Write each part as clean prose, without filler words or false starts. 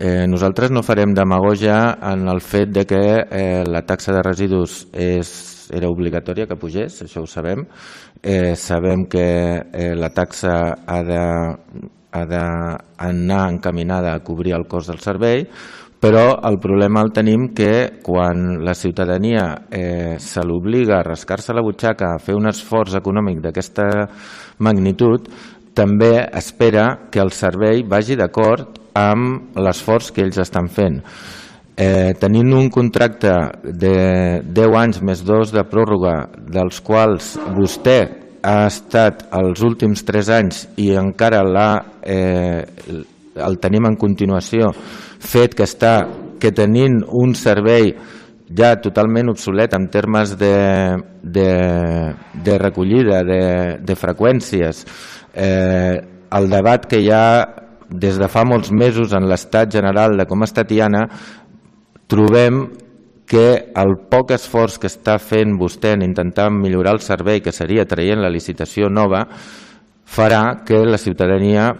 Nosaltres no farem demagogia en el fet de que la taxa de residus era obligatòria que pugés, això ho sabem. Sabem que la taxa ha d'anar encaminada a cobrir el cost del servei, però el problema el tenim que quan la ciutadania se l'obliga a rascar-se la butxaca, a fer un esforç econòmic d'aquesta magnitud, també espera que el servei vagi d'acord amb l'esforç que ells estan fent. Tenint un contracte de 10 anys més 2 de pròrroga, dels quals vostè ha estat els últims 3 anys i encara el tenim en continuació, fet que tenint un servei ja totalment obsolet en termes de recollida, de freqüències, el debat que hi ha des de fa molts mesos en l'estat general de com està Tiana, trobem que el poc esforç que està fent vostè en intentar millorar el servei, que seria traient la licitació nova, farà que la ciutadania,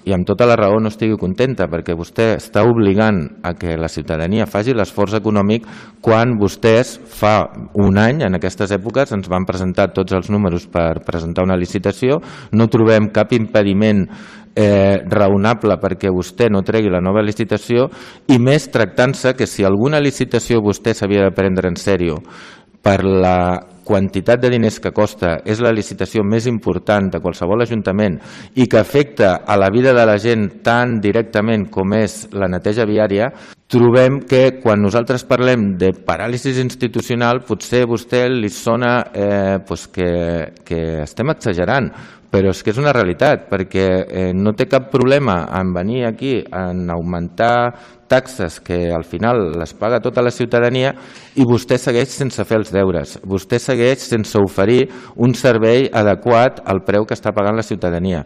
i amb tota la raó, no estigui contenta, perquè vostè està obligant a que la ciutadania faci l'esforç econòmic quan vostès fa un any, en aquestes èpoques, ens van presentar tots els números per presentar una licitació, no trobem cap impediment raonable perquè vostè no tregui la nova licitació, i més tractant-se que si alguna licitació vostè s'havia de prendre en sèrio per la quantitat de diners que costa, és la licitació més important de qualsevol ajuntament i que afecta a la vida de la gent tan directament com és la neteja viària, trobem que quan nosaltres parlem de paràlisi institucional potser a vostè li sona que estem exagerant, però és que és una realitat, perquè no té cap problema en venir aquí en augmentar taxes que al final les paga tota la ciutadania i vostè segueix sense fer els deures, vostè segueix sense oferir un servei adequat al preu que està pagant la ciutadania.